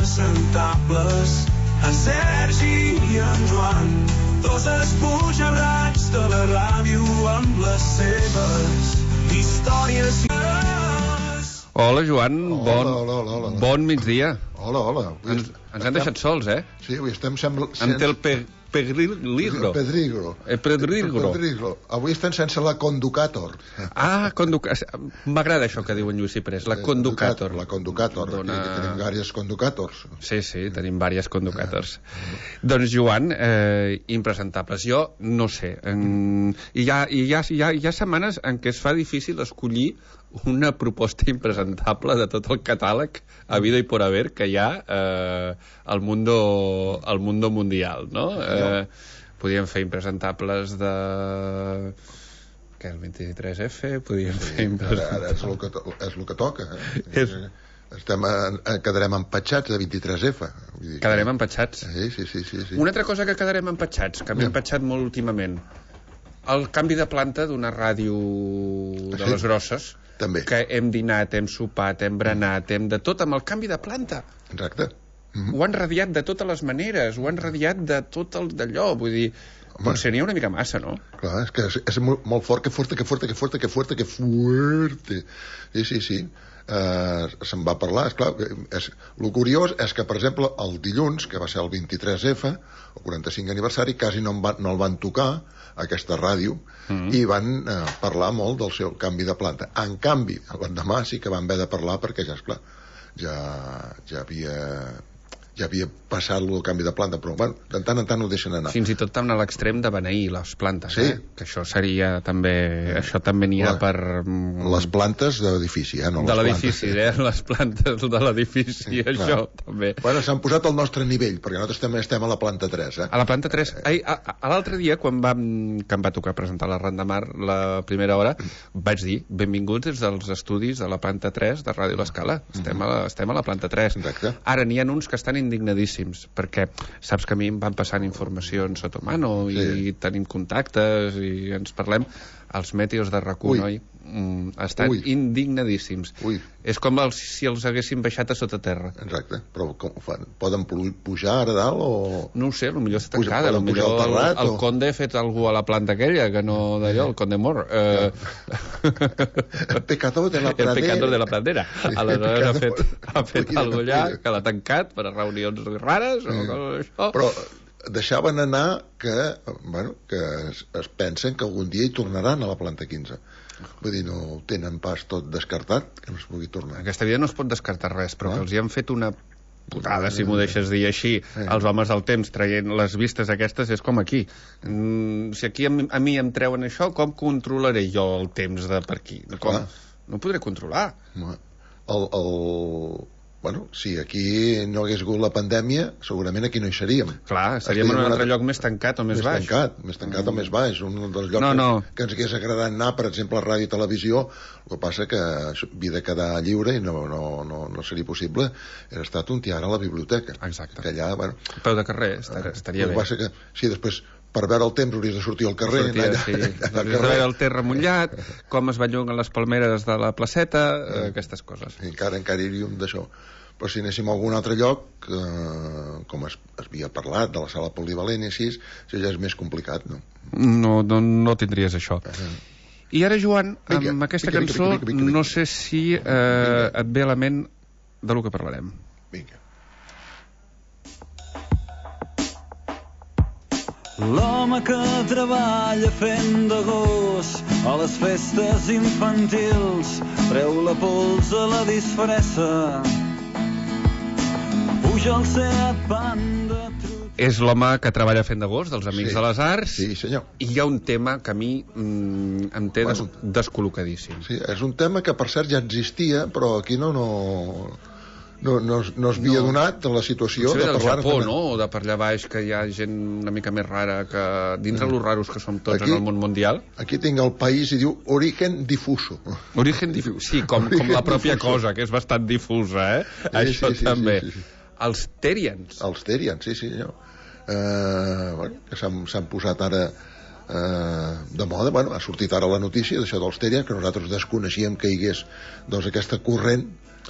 impresentables, en Sergi i en Joan, dos esbojarrats de la ràdio amb les seves històries. Hola, Joan. Hola. Bon migdia. Hola. Ens han deixat sols, eh? Sí, avui estem... Amb el Pedrigro. Pedrigro. Avui estem sense la Conducator. M'agrada això que diu en Lluís Ciprés, la Conducator. La Conducator. Tenim diverses Conducators. Sí, tenim diverses Conducators. Doncs, Joan, impresentables. Jo no sé. Hi ha setmanes en què es fa difícil escollir una proposta impresentable de tot el catàleg a vida i por haver que hi ha al mundo mundial, no? Podríem fer impresentables de... Què, el 23F? Podríem fer Ara és el que toca. Quedarem empatxats de 23F. Quedarem empatxats. Sí. Una altra cosa que quedarem empatxats, que m'he empatxat molt últimament, el canvi de planta d'una ràdio de les grosses. També. Que hem dinat, hem sopat, hem berenat, hem de tot amb el canvi de planta. Exacte. Ho han radiat de totes les maneres, ho han radiat de tot el d'allò, vull dir, potser n'hi ha una mica massa, no? Clar, és que és molt fort, que fuerte. Sí. Se'n va parlar, esclar. El curiós és que, per exemple, el dilluns, que va ser el 23F, el 45 aniversari, quasi no el van tocar, aquesta ràdio, i van parlar molt del seu canvi de planta. En canvi, l'endemà sí que van haver de parlar perquè ja, esclar, ja havia passat el canvi de planta, però bueno, de tant en tant ho deixen anar. Fins i tot tant a l'extrem de beneir les plantes, sí. Que això seria també... Això també n'hi ha per... Les plantes de l'edifici, no de l'edifici, les plantes de l'edifici, això també. Bueno, s'han posat al nostre nivell, perquè nosaltres també estem a la planta 3, A la planta 3. L'altre dia, quan em va tocar presentar la Ronda Mar la primera hora, vaig dir, benvinguts des dels estudis de la planta 3 de Ràdio L'Escala. Estem a la planta 3. Exacte. Ara n'hi ha uns que estan indignadíssims, perquè saps que a mi em van passant informacions sota mano i tenim contactes i ens parlem. Els mèteors de RAC1 estan indignadíssims. És com si els haguessin baixat a sota terra. Exacte, però com ho fan? Poden pujar ara dalt o...? No ho sé, potser està tancada, potser el Conde ha fet alguna a la planta aquella, que no d'allò, el Conde Mor. El pecador de la pradera. El pecador de la pradera. Aleshores ha fet alguna allà, que l'ha tancat per a reunions rares o coses d'això. Però deixaven anar que es pensen que algun dia hi tornaran a la planta 15. Vull dir, no ho tenen pas tot descartat, que no es pugui tornar. Aquesta vida no es pot descartar res, però que els hi han fet una putada, si m'ho deixes dir així, els homes del temps traient les vistes aquestes, és com aquí. Si aquí a mi em treuen això, com controlaré jo el temps de per aquí? No podré controlar. Bueno, si aquí no hagués hagut la pandèmia, segurament aquí no hi seríem. Clar, seríem en un altre lloc més tancat o més baix. Més tancat o més baix. Un dels llocs que ens hagués agradat anar, per exemple, a ràdio i televisió, el que passa que havia de quedar lliure i no seria possible. Era estat un tiar a la biblioteca. Exacte. Que allà, bueno... Peu de carrer, estaria bé. El que passa que, sí, després... Per veure el temps hauries de sortir al carrer. Hauries de veure el terra mullat, com es belluguen les palmeres de la placeta, aquestes coses. Encara iríem d'això. Però si anéssim a algun altre lloc, com es havia parlat, de la sala polivalent i així, això ja és més complicat, no? No tindries això. I ara, Joan, amb aquesta cançó, no sé si et ve a la ment de lo que parlarem. Vinga. L'home que treballa fent de gos a les festes infantils treu la pols a la disfressa, puja al Seat Panda. És l'home que treballa fent de gos dels Amics de les Arts. Sí, senyor. I hi ha un tema que a mi em té descol·locadíssim. Sí, és un tema que per cert ja existia, però aquí no es havia donat la situació de parlar... Del Japó, no? O de per allà baix, que hi ha gent una mica més rara que... Dins de los raros que som tots en el món mundial. Aquí tinc el país i diu origen difuso. Origen difuso, sí, com la pròpia cosa, que és bastant difusa, Això també. Els Terians. Els Terians, sí, senyor. Que s'han posat ara de moda. Bueno, ha sortit ara la notícia d'això dels Terians, que nosaltres desconeixíem que hi hagués doncs, aquesta corrent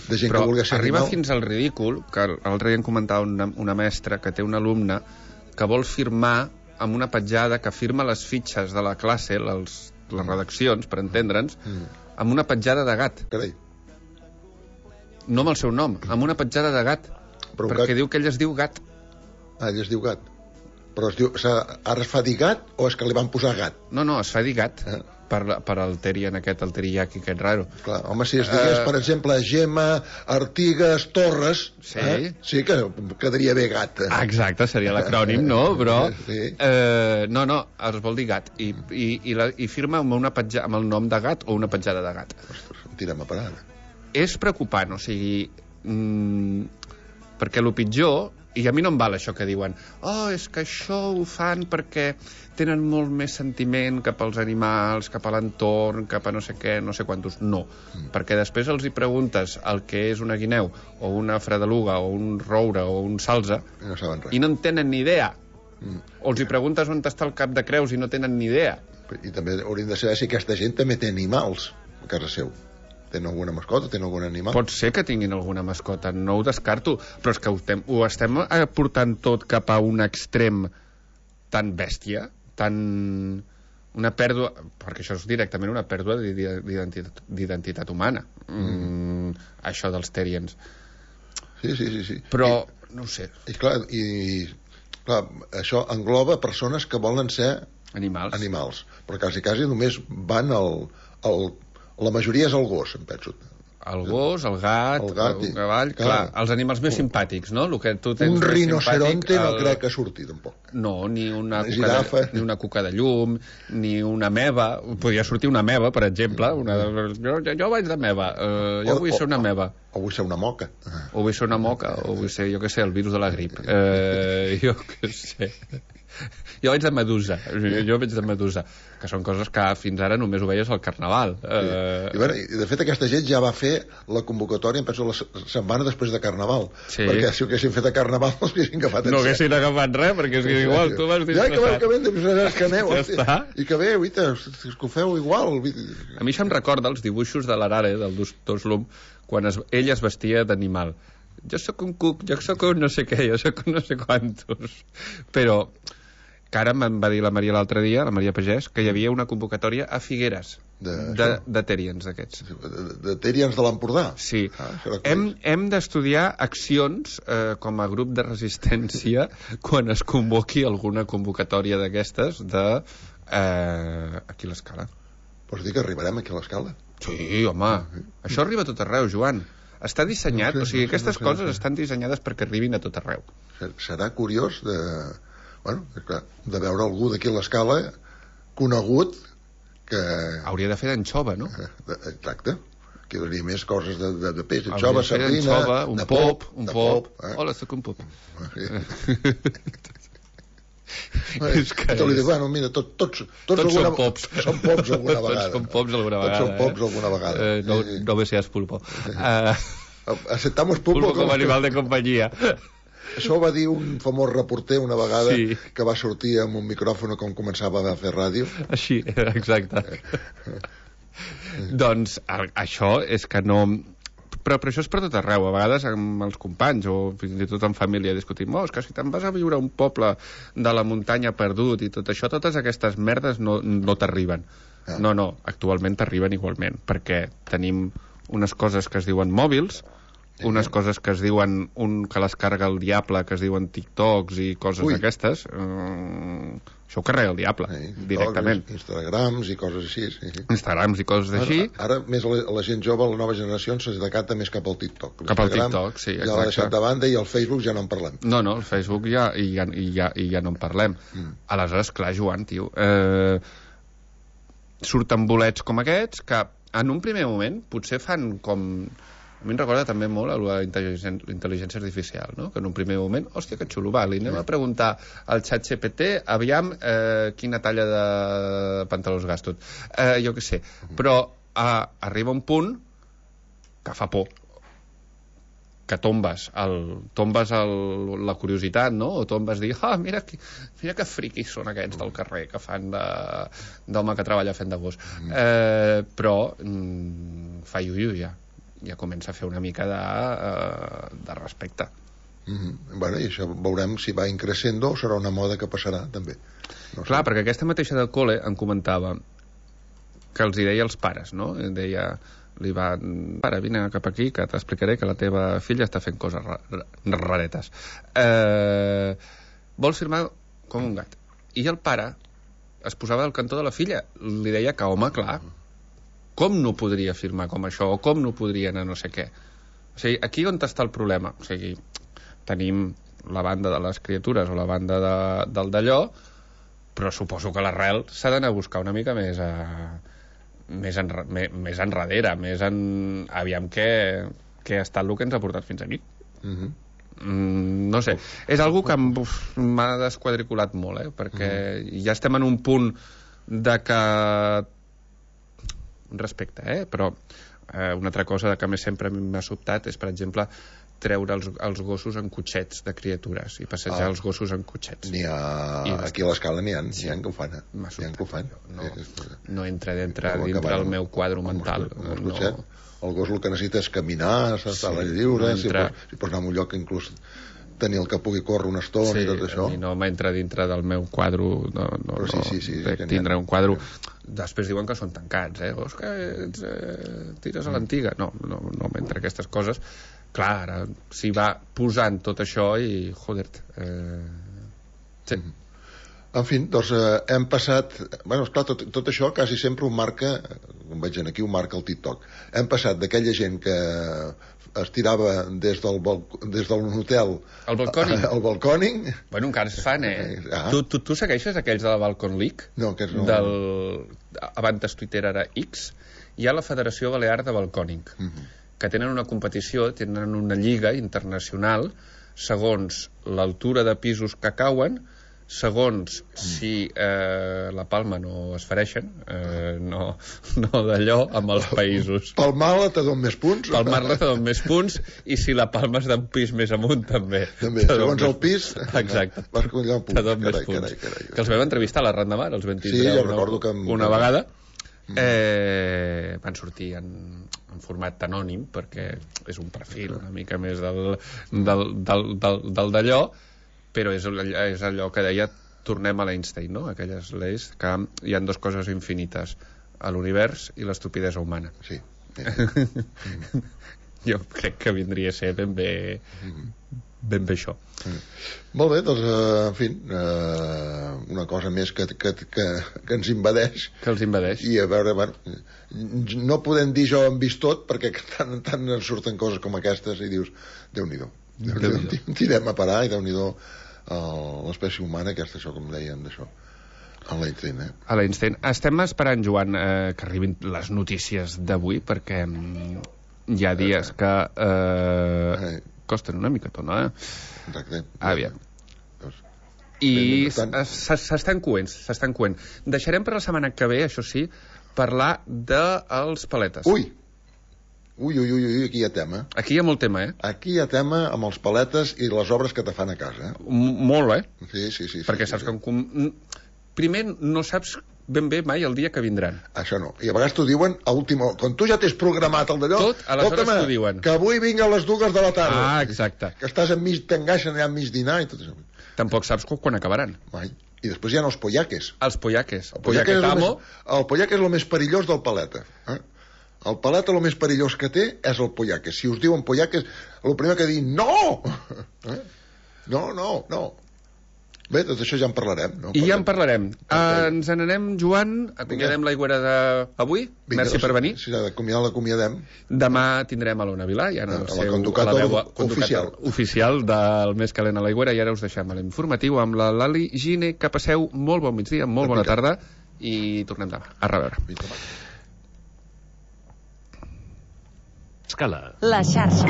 de gent però que vulgui ser arriba animal. fins al ridícul, que l'altre dia em comentava una mestra que té un alumne que vol firmar amb una petjada, que firma les fitxes de la classe, les redaccions, per entendre'ns, amb una petjada de gat. Carai. No amb el seu nom, amb una petjada de gat. Però perquè gat... diu que ell es diu gat. Ah, ell es diu gat. Però es diu, ara es fa dir gat o és que li van posar gat? No, es fa dir gat. Per el Terian aquest, el teriyaki aquest raro. Clar, home, si es digués, per exemple, Gemma, Artigas, Torres, sí, sí que quedaria bé gat. Exacte, seria l'acrònim, no? Però, sí. no, es vol dir gat. I firma amb el nom de gat o una petjada de gat. Ostres, em tirem a parar. És preocupant, o sigui... perquè el pitjor... I a mi no em val això que diuen és que això ho fan perquè tenen molt més sentiment cap als animals, cap a l'entorn, cap a no sé què, no sé quantos. No, perquè després els hi preguntes el que és una guineu, o una fredeluga, o un roure, o un salze, no saben res. I no en tenen ni idea. O els hi preguntes on està el cap de creus i no tenen ni idea. I també hauríem de saber si aquesta gent també té animals a casa seu. Tenen alguna mascota, tenen algun animal? Pot ser que tinguin alguna mascota, no ho descarto, però és que ho estem portant tot cap a un extrem tan bèstia, tan... una pèrdua, perquè això és directament una pèrdua d'identitat humana, això dels Terians. Sí. Però, no ho sé. I clar, això engloba persones que volen ser animals. Però quasi només van la majoria és el gos, em penso. El gos, el gat, el cavall... Clar, els animals més simpàtics, no? El que tu tens un rinoceronte simpàtic, no crec que surti, tampoc. No, ni una cuca de llum, ni una meva. Podria sortir una meva, per exemple. Jo vaig de meva. Jo vull ser una meva. O vull ser una moca. O vull ser una moca, o vull ser, jo què sé, el virus de la grip. Jo què sé... Jo vaig de medusa, que són coses que fins ara només ho veies al carnaval. I de fet aquesta gent ja va fer la convocatòria, em penso, la setmana després de carnaval, perquè si ho haguessin fet a carnaval no s'haguessin agafat no haguessin agafat res, perquè és que igual tu vas disfressat. Que ben que aneu, i que bé, és que ho feu igual. A mi això em recorda els dibuixos de l'Arare, del Doslum, quan ell es vestia d'animal. Jo sóc un cuc, jo sóc un no sé què, jo sóc un no sé quantos. Però que ara me'n va dir la Maria l'altre dia, la Maria Pagès, que hi havia una convocatòria a Figueres de Terians d'aquests. De Terians de l'Empordà? Sí. Hem d'estudiar accions com a grup de resistència quan es convoqui alguna convocatòria d'aquestes aquí a l'Escala. Vols dir que arribarem aquí a l'Escala? Sí, home. Això arriba a tot arreu, Joan. Està dissenyat, o sigui, aquestes coses estan dissenyades perquè arribin a tot arreu. Serà curiós de veure algú d'aquí a l'Escala conegut que... Hauria de fer d'anxova, no? Exacte. Que donaria més coses de peix. Anxova, sardina... Un pop. Hola, soc un pop. Li dic, bueno, mira, tots són pops. Són pops alguna vegada. Tots són pops alguna vegada. No me seas pulpo. Aceptamos pulpo com animal de companyia. Això ho va dir un famós reporter una vegada que va sortir amb un micròfon quan començava a fer ràdio. Així, exacte. Doncs això és que no... Però això és per tot arreu, a vegades amb els companys o fins i tot en família discutim, és que si te'n vas a viure a un poble de la muntanya perdut i tot això, totes aquestes merdes no t'arriben. No, actualment t'arriben igualment, perquè tenim unes coses que es diuen mòbils, unes coses que es diuen que les carga el diable, que es diuen TikToks i coses d'aquestes. Això ho carrega el diable, directament. Instagrams i coses així. Instagrams i coses així. Ara més la gent jove, la nova generació, se decanta més cap al TikTok. Cap al TikTok, sí, exacte. Ja l'ha deixat de banda i el Facebook ja no en parlem. No, el Facebook ja no en parlem. Aleshores, clar, Joan, tio, surten bolets com aquests que en un primer moment potser fan com... A mi em recorda també molt la intel·ligència artificial, no? Que en un primer moment, hòstia, que xulo, va, li anem a preguntar al xat GPT, aviam quina talla de pantalons gasto. Jo què sé. Però arriba un punt que fa por. que tombes la curiositat, no? O tombes dir, mira que friquis són aquests del carrer que fan d'home que treballa fent de gos. Però fa iuiu ja comença a fer una mica de respecte. Bueno, i això veurem si va increixendo o serà una moda que passarà també. Clar, perquè aquesta mateixa del col·le em comentava que els hi deia als pares, no? Deia, pare, vine cap aquí que t'explicaré que la teva filla està fent coses raretes. Vols firmar com un gat? I el pare es posava al cantó de la filla, li deia que, home, clar, com no podria firmar com això, o com no podria anar no sé què. O sigui, aquí on està el problema? O sigui, tenim la banda de les criatures o la banda del d'allò, però suposo que l'arrel s'ha d'anar a buscar una mica més enrere, aviam què ha estat el que ens ha portat fins aquí. No sé, és algo que m'ha desquadriculat molt, perquè ja estem en un punt de que respecte, però una altra cosa que més sempre m'ha sobtat és, per exemple, treure els gossos en cotxets de criatures i passejar els gossos en cotxets. Aquí a l'escala n'hi ha que ho fan. No entra dintre del meu quadre mental. El gos el que necessita és caminar, estar lliure, si pots anar a un lloc inclús tenir el que pugui córrer una estona i tot això. I no m'entra dintre del meu quadre tindre un quadre. Després diuen que són tancats, gos que tires a l'antiga. No m'entra aquestes coses. Clar, ara s'hi va posant tot això i joder, sí. En fi, doncs hem passat, esclar, tot això quasi sempre ho marca, com veig aquí, ho marca el TikTok. Hem passat d'aquella gent que es tirava des d'un hotel al balcòning. Bueno, encara es fan, Tu segueixes aquells de la Balcon League? No, aquests no. Abans Twitter era X. Hi ha la Federació Balear de Balcòning, que tenen una competició, tenen una lliga internacional segons l'altura de pisos que cauen, segons si la palma no es fereixen, no d'allò amb els països. Palmar-la te don més punts? Palmar-la te don més punts, i si la palma és d'un pis més amunt també. Segons el pis, exacte, te don més punts. Que els vam entrevistar a la Randamar, els vam tindre una vegada. Van sortir en format anònim perquè és un perfil una mica més del d'allò, però és allò que deia, tornem a l'Einstein, no? Aquelles lleis que hi ha dues coses infinites, a l'univers i l'estupidesa humana. Sí. Jo crec que vindria a ser ben bé això. Molt bé, doncs, en fi, una cosa més que ens invadeix. Que els invadeix. I a veure, no podem dir jo hem vist tot, perquè tant en tant ens surten coses com aquestes i dius, Déu-n'hi-do. Tirem a parar i Déu-n'hi-do l'espècie humana, aquesta, això, com dèiem, d'això. A l'Einstein, A l'Einstein. Estem esperant, Joan, que arribin les notícies d'avui, perquè hi ha dies que costen una micatona, Exacte. Aviam. I s'estan coent. Deixarem per la setmana que ve, això sí, parlar dels paletes. Ui, aquí hi ha tema. Aquí hi ha molt tema, Aquí hi ha tema amb els paletes i les obres que te fan a casa, Molt, Sí. Perquè saps que primer no saps ben bé mai el dia que vindran. Això no. I a vegades t'ho diuen a última hora. Quan tu ja t'has programat el d'allò... Tot, aleshores t'ho diuen. Que avui vinc a les 2 de la tarda. Exacte. Que estàs t'engaixen allà enmig dinar i tot això. Tampoc saps quan acabaran. Mai. I després hi ha els pollaques. Els pollaques. El pollaque és el més perillós del paleta. El paleta el més perillós que té és el pollaque. Si us diuen pollaques, el primer que diuen no! No. Bé, tot això ja en parlarem, no? I ja en parlarem. Ens n'anem, Joan, acomiadem l'aigüera d'avui. Merci per venir. Si s'ha d'acomiadar, l'acomiadem. Demà tindrem a l'Ona Vilà, ja no sé, la veu oficial del Més calent a l'aigüera, i ara us deixem a l'informatiu amb la Lali Gine. Que passeu molt bon migdia, molt bona tarda, i tornem demà. A reveure. Escala. La xarxa.